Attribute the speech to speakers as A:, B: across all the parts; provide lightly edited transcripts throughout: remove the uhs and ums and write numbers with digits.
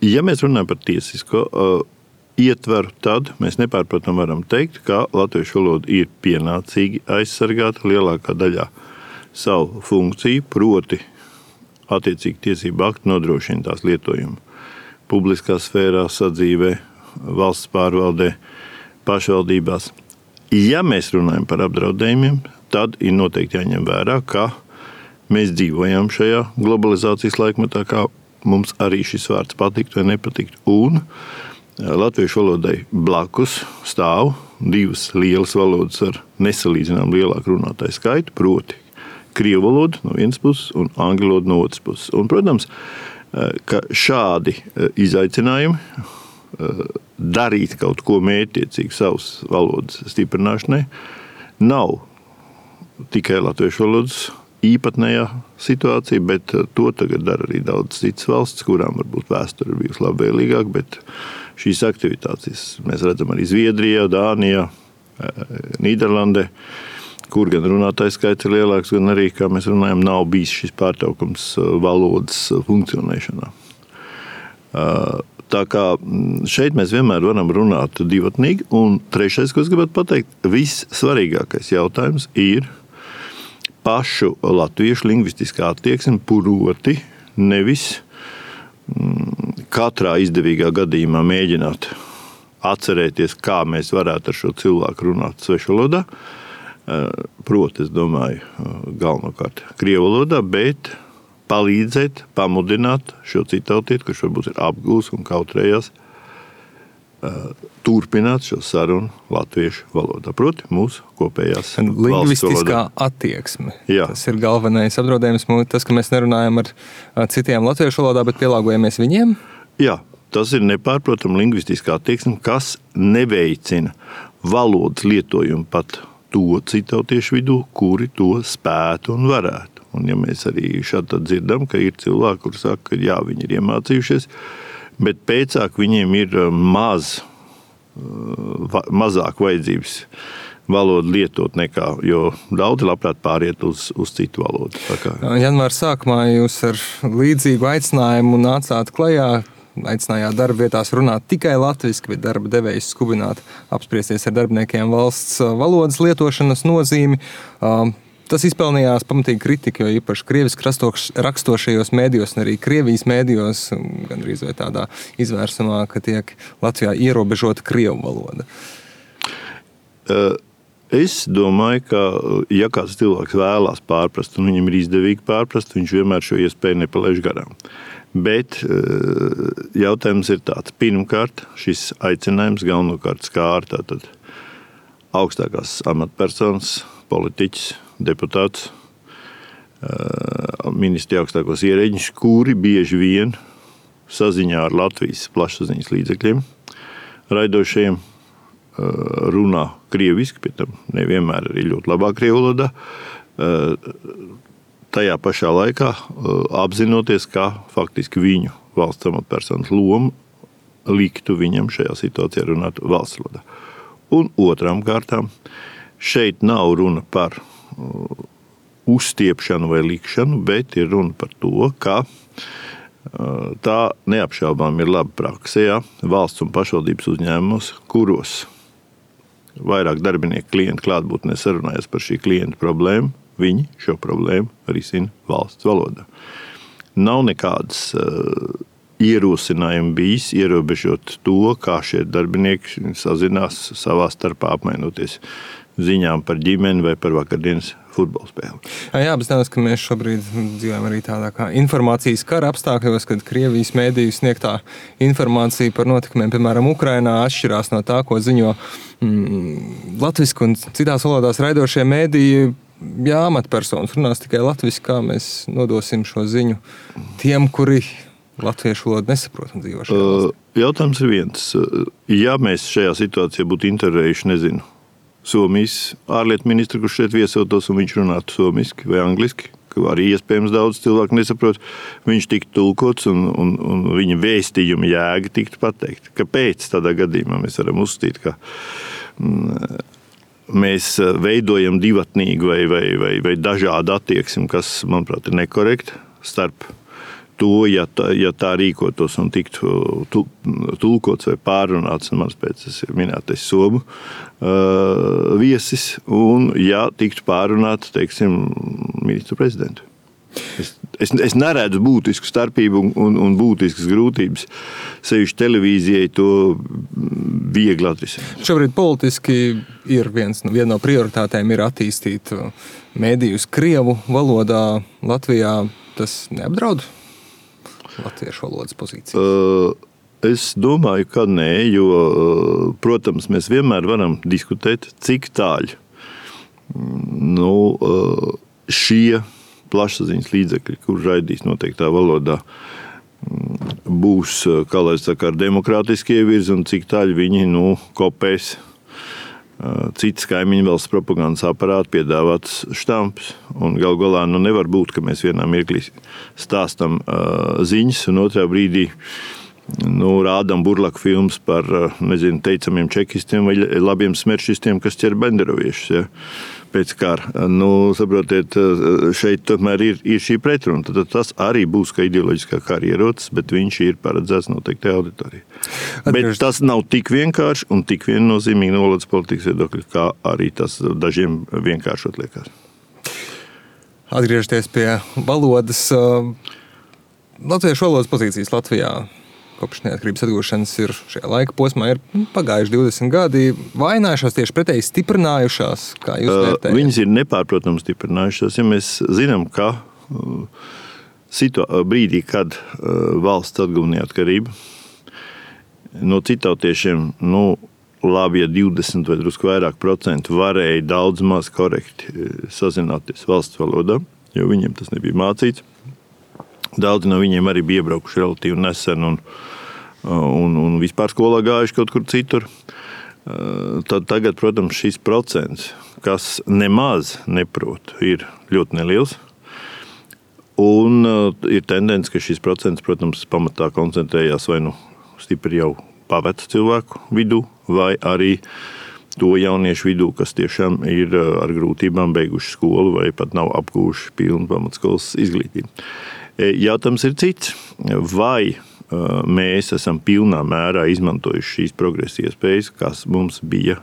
A: Ja mēs runājam par tiesisko ietveru, tad mēs nepārprotam varam teikt, ka latviešu valoda ir pienācīgi aizsargāta lielākā daļā savu funkciju, proti attiecīgi tiesību akti nodrošina tās lietojumu publiskā sfērā, sadzīvē, valsts pārvaldē, pašvaldībās. Ja mēs runājam par apdraudējumiem, tad ir noteikti jāņem vērā, ka mēs dzīvojam šajā globalizācijas laikmetā, kā mums arī šis vārds patiktu vai nepatiktu. Un latviešu valodai blakus stāv divas lielas valodas ar nesalīdzinām lielāku runātāju skaitu, proti krievu valodu no vienas puses un angļu valodu no otras puses. Un, protams, ka šādi izaicinājumi darīt kaut ko mērķtiecīgi savas valodas stiprināšanai nav tikai latviešu valodas īpatnējā situācija, bet to tagad dara arī daudz citas valsts, kurām varbūt vēsture ir bijusi labvēlīgāk, bet šīs aktivitātes mēs redzam arī Zviedrijā, Dānijā, Nīderlandē, kur gan runātājs skaits ir lielāks, gan arī, kā mēs runājam, nav bijis šis pārtraukums valodas funkcionēšanā. Tā kā šeit mēs vienmēr varam runāt divatnīgi. Un trešais, ko es gribētu pateikt, vissvarīgākais jautājums ir pašu latviešu lingvistiskā attieksme, proti nevis katrā izdevīgā gadījumā mēģināt atcerēties, kā mēs varētu ar šo cilvēku runāt svešvalodā. Proti, es domāju, galvenokārt krievu valodā, bet palīdzēt, pamudināt šo citautieti, kurš varbūt ir apgūs un kautrējās, turpināt šo sarunu latviešu valodā. Proti, mūsu kopējās valsts valodā.
B: Lingvistiskā attieksme.
A: Jā.
B: Tas ir galvenais apdraudējums. Tas, ka mēs nerunājam ar citiem latviešu valodā, bet pielāgojamies viņiem?
A: Jā, tas ir nepārprotama lingvistiskā attieksme, kas neveicina valodas lietojumu pat to citautiešu vidū, kuri to spētu un varētu. Un ja mēs arī šādi dzirdam, ka ir cilvēki, kuri saka, ka jā, viņi ir iemācījušies, bet pēcāk viņiem ir mazāk vajadzības valodu lietot nekā, jo daudzi labprāt pāriet uz citu valodu.
B: Janvāra sākumā jūs ar līdzīgu aicinājumu nācāt klajā, aicinājāt darba vietās runāt tikai latviski, bet darba devējus skubināt apspriesties ar darbiniekiem valsts valodas lietošanas nozīmi. Tas izpelnījās pamatīgi kritiku, jo īpaši krieviski rakstošajos mēdījos un arī Krievijas mēdījos, gandrīz vai tādā izvērsumā, ka tiek Latvijā ierobežota krievu valoda.
A: Es domāju, ka ja kāds cilvēks vēlās pārprast un viņam ir izdevīgi pārprast, viņš vienmēr šo iespēju nepalaiž garām. Bet jautājums ir tāds. Pirmkārt, šis aicinājums galvenokārt skār tātad augstākās amatpersonas, politiķis, deputāts, ministri augstākos ierēģiņus, kuri bieži vien saziņā ar Latvijas plašsaziņas līdzekļiem raidošajiem runā krieviski, pie tam nevienmēr arī ļoti labā krievu valodā, tajā pašā laikā apzinoties, ka faktiski viņu valsts amatpersonas loma liktu viņam šajā situācijā runāt valsts valodā. Un otrām kārtām, šeit nav runa par uzstiepšanu vai likšanu, bet ir runa par to, ka tā neapšaubām ir laba prakse, ja valsts un pašvaldības uzņēmumos, kuros vairāk darbinieku klientu klātbūtnē sarunājas par šī klienta problēmu, viņi šo problēmu risina valsts valodā. Nav nekādas ierosinājumi bijis ierobežot to, kā šie darbinieki sazinās savā starpā apmainoties ziņām par ģimeni vai par vakardienas futbola spēli.
B: Jā, bet nevis, ka mēs šobrīd dzīvojam arī tādā kā informācijas kara apstākļos, kad Krievijas mēdīju sniegtā informācija par notikumiem, piemēram, Ukrainā, atšķirās no tā, ko ziņo latviski un citās valodās raidošie mēdīji. Jā, amatpersonas runās tikai latviski, kā mēs nodosim šo ziņu tiem, kuri latviešu valodu nesaprot un dzīvo šajā valstī.
A: Jautājums ir viens. Ja mēs šajā situācijā būtu intervējuši, nezinu, Somijas ārlietu ministru, kurš šeit viesotos un viņš runātu somiski vai angliski, ka arī iespējams daudz cilvēku nesaprot, viņš tiktu tulkots un viņa vēstījuma jēga tiktu pateikt. Kāpēc tādā gadījumā mēs varam uzstīt, ka mēs veidojam divatnīgu vai dažādu attieksmi, kas, manuprāt, ir nekorekta starp to, ja tā rīkotos un tiktu tulkots vai pārrunāts, mans pēc minētais somu viesis, un ja tiktu pārrunāts, teiksim, ministru prezidentu. Es neredzu būtisku starpību un būtiskas grūtības. Sevišķi televīzijai to viegli atrisināt.
B: Šobrīd politiski ir viena no prioritātēm ir attīstīt mēdījus krievu valodā. Latvijā tas neapdraud latviešu valodas pozīcijas?
A: Es domāju, ka nē, jo, protams, mēs vienmēr varam diskutēt, cik tāļi šie plašsaziņas līdzekļi, kur raidīs noteiktā valodā, būs, kā lai saka, ar demokrātiskie virzi un cik tāļi viņi kopēs citas kaimiņu valsts propagandas aparāti piedāvāts štampus. Un galu galā nevar būt, ka mēs vienā mirklī stāstam ziņas un otrā brīdī rādām burlaku filmas par, teicamiem čekistiem vai labiem smeršistiem, kas ķer benderoviešus, ja, pēc kara. Saprotiet, šeit tomēr ir šī pretruna. Tad tas arī būs kā ideoloģiskā kara ierocis, bet viņš ir paredzēts noteiktai auditorijai. Bet tas nav tik vienkārši un tik viennozīmīgi no valodas politikas viedokļa, kā arī tas dažiem vienkāršot liekas.
B: Atgriežoties pie valodas, latviešu valodas pozīcijas Latvijā kopš neatkarības atgūšanas ir šajā laika posmā ir pagājuši 20 gadi, vainājušās tieši pretēji stiprinājušās, kā jūs vērtējat?
A: Viņas ir nepārprotami stiprinājušās, ja mēs zinām, ka brīdī, kad valsts atguva neatkarību, no citautiešiem, labi, ja 20 vai drusku vairāk procentu varēja daudz maz korekti sazināties valsts valodā, jo viņiem tas nebija mācīts. Daudzi no viņiem arī bija iebraukuši relatīvi nesen un vispār skolā gājuši kaut kur citur. Tad tagad, protams, šis procents, kas nemaz neprot, ir ļoti neliels. Un ir tendence, ka šis procents, protams, pamatā koncentrējās vai stipri jau pavecu cilvēku vidū, vai arī to jauniešu vidū, kas tiešām ir ar grūtībām beiguši skolu vai pat nav apgūši pilnu pamatskolas izglītību. Jautājums ir cits. Vai mēs esam pilnā mērā izmantojuši šīs progresa iespējas, kas mums bija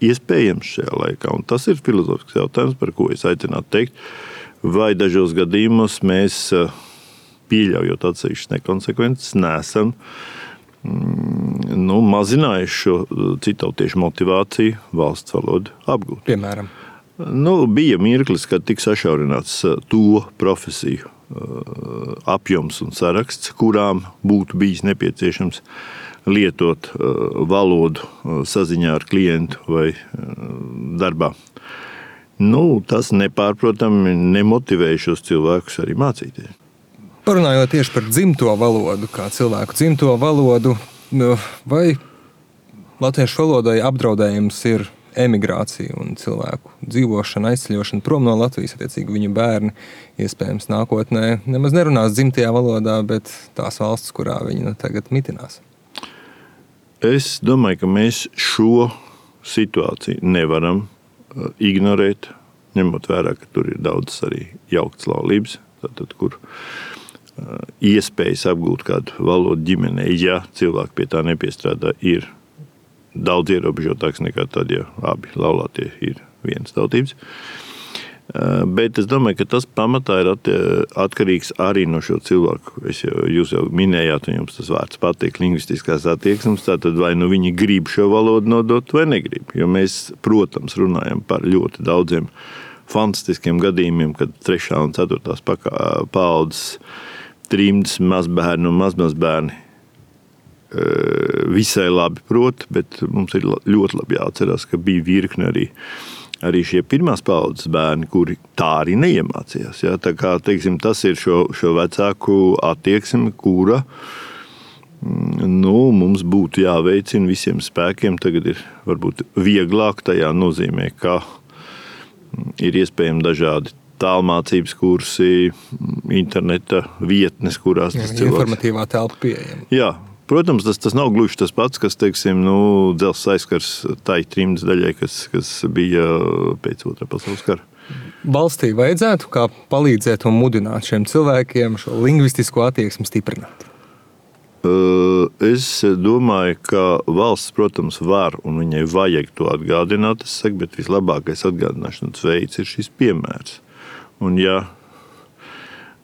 A: iespējams šajā laikā? Un tas ir filozofisks jautājums, par ko es aicinātu teikt. Vai dažos gadījumos mēs, pieļaujot atsevišķas nekonsekvences, neesam mazinājuši šo citautiešu motivāciju valsts valodu apgūt?
B: Piemēram?
A: Bija mirklis, kad tika sašaurināts to profesiju apjoms un saraksts, kurām būtu bijis nepieciešams lietot valodu saziņā ar klientu vai darbā. Tas nepārprotami nemotivēja šos cilvēkus arī mācīties.
B: Parunājot tieši par dzimto valodu, kā cilvēku dzimto valodu, vai latviešu valodai apdraudējums ir emigrācija un cilvēku dzīvošana, aizceļošana prom no Latvijas, attiecīgi viņu bērni iespējams nākotnē nemaz nerunās dzimtajā valodā, bet tās valsts, kurā viņi tagad mitinās.
A: Es domāju, ka mēs šo situāciju nevaram ignorēt, ņemot vērā, ka tur ir daudz arī jauktas laulības, tātad, kur iespējas apgūt kādu valodu ģimenei, ja cilvēki pie tā nepiestrādā, ir daudz ierobežotāks nekā tad, ja abi laulātie ir vienas tautības. Bet es domāju, ka tas pamatā ir atkarīgs arī no šo cilvēku. Jūs jau minējāt, un jums tas vārds patīk, lingvistiskās attieksmes, tātad vai viņi grib šo valodu nodot vai negrib. Jo mēs, protams, runājam par ļoti daudziem fantastiskiem gadījumiem, kad 3. un 4. paaudzes trimdas mazbērni un mazmazbērni visai labi prot, bet mums ir ļoti labi jāatcerās, ka bija virkne arī šie pirmās paaudzes bērni, kuri tā arī neiemācījās. Ja? Tā kā, teiksim, tas ir šo vecāku attieksmi, kura mums būtu jāveicina visiem spēkiem. Tagad ir varbūt vieglāk tajā nozīmē, ka ir iespējami dažādi tālmācības kursi, interneta vietnes, kurās tas cilvēks...
B: Informatīvā telpa pieejama.
A: Jā. Protams, tas nav gluži tas pats, kas, teiksim, dzelzs aizskars tai trimdas daļai, kas bija pēc 2. pasaules kara.
B: Valstī vajadzētu kā palīdzēt un mudināt šiem cilvēkiem šo lingvistisko attieksmi stiprināt?
A: Es domāju, ka valsts, protams, var un viņai vajag to atgādināt, bet vislabākais atgādināšanas veids ir šis piemērs. Un ja,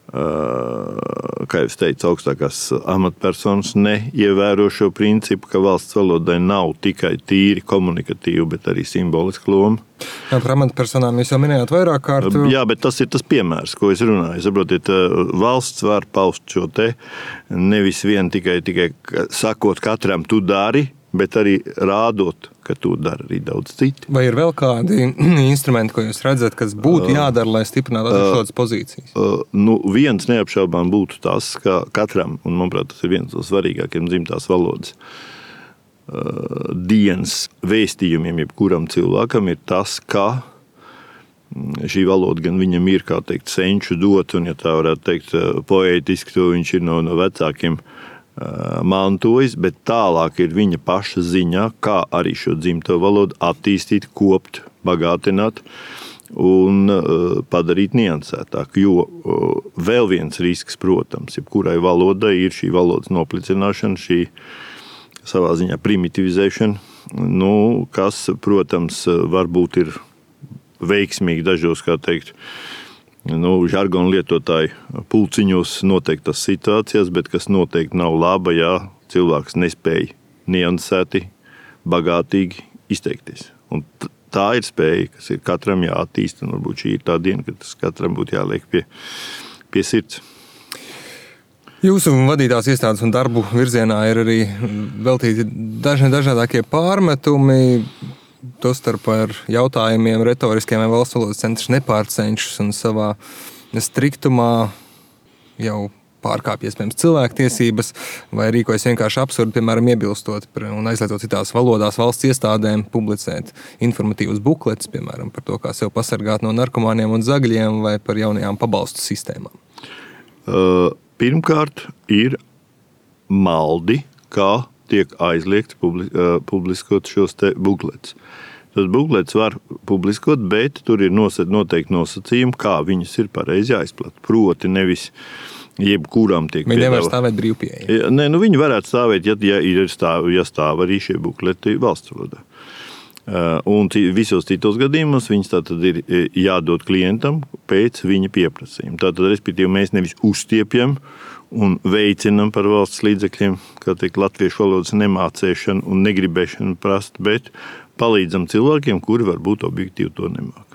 A: kā jau es teicu, augstākās amatpersonas neievēro šo principu, ka valsts valodai nav tikai tīri komunikatīva, bet arī simboliska loma.
B: Jā, par amatpersonām jūs jau minējāt vairāk kārt.
A: Jā, bet tas ir tas piemērs, ko es runāju. Saprotiet, valsts var paust šo te nevis vien tikai sakot katram tu dari, bet arī rādot, ka to dara arī daudz citi.
B: Vai ir vēl kādi instrumenti, ko jūs redzat, kas būtu jādara, lai stiprinātu šādas pozīcijas?
A: Viens neapšaubām būtu tas, ka katram, un manuprāt, tas ir viens no svarīgākiem dzimtās valodas dienas vēstījumiem, jebkuram cilvēkam ir tas, ka šī valoda gan viņam ir, kā teikt, senču dot, un, ja tā varētu teikt, poētiski, to viņš ir no vecākiem mantojis, bet tālāk ir viņa paša ziņā, kā arī šo dzimto valodu attīstīt, kopt, bagātināt un padarīt niansētāk. Jo vēl viens risks, protams, jebkurai valodai ir šī valodas noplicināšana, šī savā ziņā primitivizēšana, kas, protams, varbūt ir veiksmīgi dažos, kā teikt, žargonu lietotāju pulciņos noteiktas situācijās, bet kas noteikti nav laba, ja cilvēks nespēj niansēti, bagātīgi izteikties. Un tā ir spēja, kas ir katram jāattīst, un varbūt šī ir tā diena, kad tas katram būtu jāliek pie sirds.
B: Jūsu vadītās iestādes un darbu virzienā ir arī veltīti dažādākie pārmetumi, tostarp ar jautājumiem retoriskiem, vai valsts valodas centrs nepārcenšas un savā striktumā jau pārkāpj iespējams cilvēktiesības vai rīkojas vienkārši absurdi, piemēram, iebilstot un aizliedzot citās valodās valsts iestādēm publicēt informatīvus bukletus, piemēram, par to, kā sev pasargāt no narkomāniem un zagļiem vai par jaunajām pabalstu sistēmām.
A: Pirmkārt ir maldi, kā tiek aizliegts publiskot šos te bukletus. Tas buklets var publiskot, bet tur ir noteikti nosacījumi, kā viņus ir pareizi jāizplata. Proti nevis jebkuram tiek
B: Viņi nevar stāvēt brīvpieeja.
A: Nē, viņi varētu stāvēt, ja stāv arī šie bukleti valsts valodā. Un visos citos gadījumos viņas tātad ir jādod klientam pēc viņa pieprasījuma. Tātad, respektīvi, mēs nevis uzstiepjam un veicinam par valsts līdzekļiem, kā teikt, latviešu valodas nemācēšanu un negribēšanu prast, bet palīdzam cilvēkiem, kuri varbūt objektīvi to nemāk.